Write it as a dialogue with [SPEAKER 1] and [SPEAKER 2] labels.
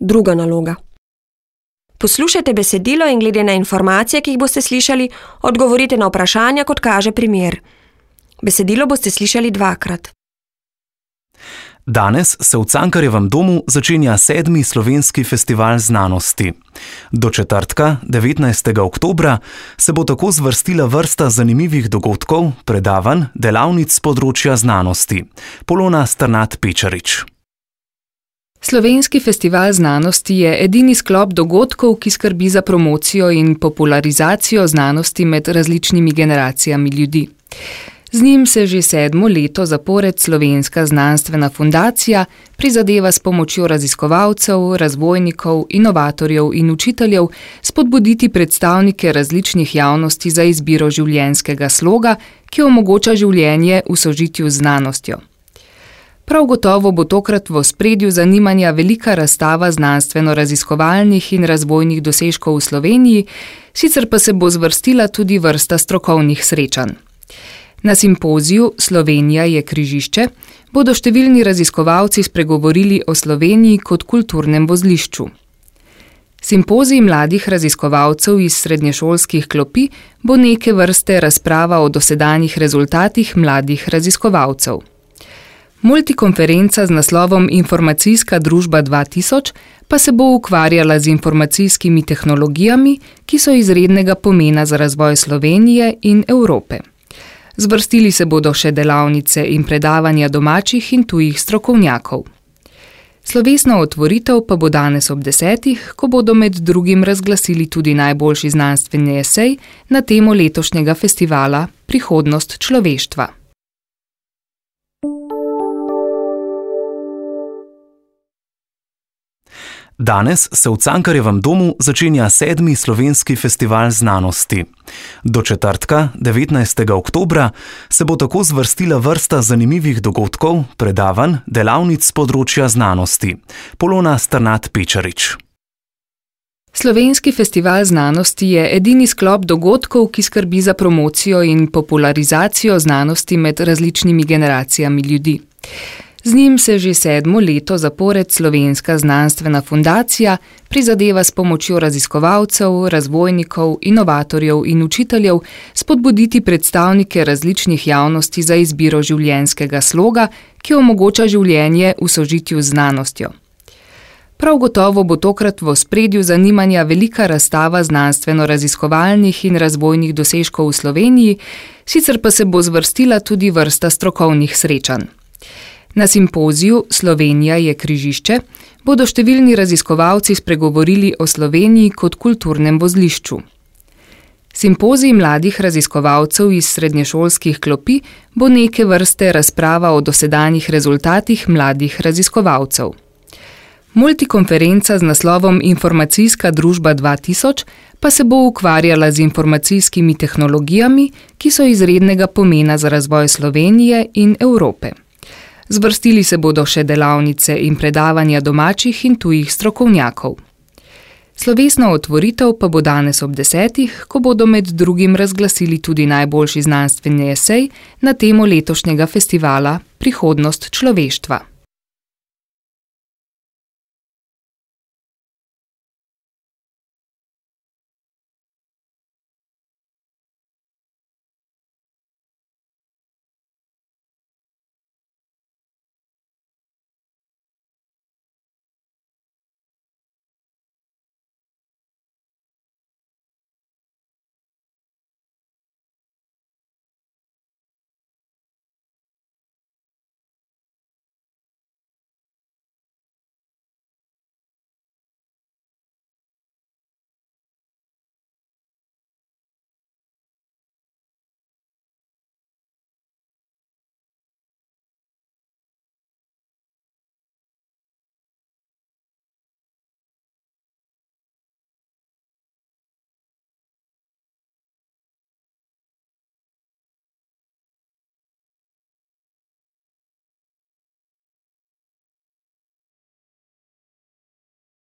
[SPEAKER 1] Druga naloga. Poslušajte besedilo in glede na informacije, ki jih boste slišali, odgovorite na vprašanja, kot kaže primer. Besedilo boste slišali 2-krat.
[SPEAKER 2] Danes se v Cankarjevem domu začenja 7. slovenski festival znanosti. Do četrtka, 19. oktobra, se bo tako zvrstila vrsta zanimivih dogodkov, predavanj, delavnic z področja znanosti. Polona Strnad-Pečarič.
[SPEAKER 3] Slovenski festival znanosti je edini sklop dogodkov, ki skrbi za promocijo in popularizacijo znanosti med različnimi generacijami ljudi. Z njim se že 7. leto zapored Slovenska znanstvena fundacija prizadeva s pomočjo raziskovalcev, razvojnikov, inovatorjev in učiteljev spodbuditi predstavnike različnih javnosti za izbiro življenjskega sloga, ki omogoča življenje v sožitju z znanostjo. Prav gotovo bo tokrat v ospredju zanimanja velika razstava znanstveno-raziskovalnih in razvojnih dosežkov v Sloveniji, sicer pa se bo zvrstila tudi vrsta strokovnih srečanj. Na simpoziju Slovenija je križišče bodo številni raziskovalci spregovorili o Sloveniji kot kulturnem vozlišču. Simpozij mladih raziskovalcev iz srednješolskih klopi bo neke vrste razprava o dosedanjih rezultatih mladih raziskovalcev. Multikonferenca z naslovom Informacijska družba 2000 pa se bo ukvarjala z informacijskimi tehnologijami, ki so izrednega pomena za razvoj Slovenije in Evrope. Zvrstili se bodo še delavnice in predavanja domačih in tujih strokovnjakov. Slovesna otvoritev pa bo danes ob 10, ko bodo med drugim razglasili tudi najboljši znanstveni esej na temo letošnjega festivala Prihodnost človeštva.
[SPEAKER 2] Danes se v Cankarjevem domu začenja 7. slovenski festival znanosti. Do četrtka, 19. oktobra, se bo tako zvrstila vrsta zanimivih dogodkov, predavanj, delavnic z področja znanosti. Polona Strnad-Pečarič.
[SPEAKER 3] Slovenski festival znanosti je edini sklop dogodkov, ki skrbi za promocijo in popularizacijo znanosti med različnimi generacijami ljudi. Z njim se že 7. leto zapored Slovenska znanstvena fundacija prizadeva s pomočjo raziskovalcev, razvojnikov, inovatorjev in učiteljev spodbuditi predstavnike različnih javnosti za izbiro življenjskega sloga, ki omogoča življenje v sožitju z znanostjo. Prav gotovo bo tokrat v ospredju zanimanja velika razstava znanstveno-raziskovalnih in razvojnih dosežkov v Sloveniji, sicer pa se bo zvrstila tudi vrsta strokovnih srečanj. Na simpoziju Slovenija je križišče bodo številni raziskovalci spregovorili o Sloveniji kot kulturnem vozlišču. Simpozij mladih raziskovalcev iz srednješolskih klopi bo neke vrste razprava o dosedanjih rezultatih mladih raziskovalcev. Multikonferenca z naslovom Informacijska družba 2000 pa se bo ukvarjala z informacijskimi tehnologijami, ki so izrednega pomena za razvoj Slovenije in Evrope. Zvrstili se bodo še delavnice in predavanja domačih in tujih strokovnjakov. Slovesna otvoritev pa bo danes ob 10, ko bodo med drugim razglasili tudi najboljši znanstveni esej na temo letošnjega festivala Prihodnost človeštva.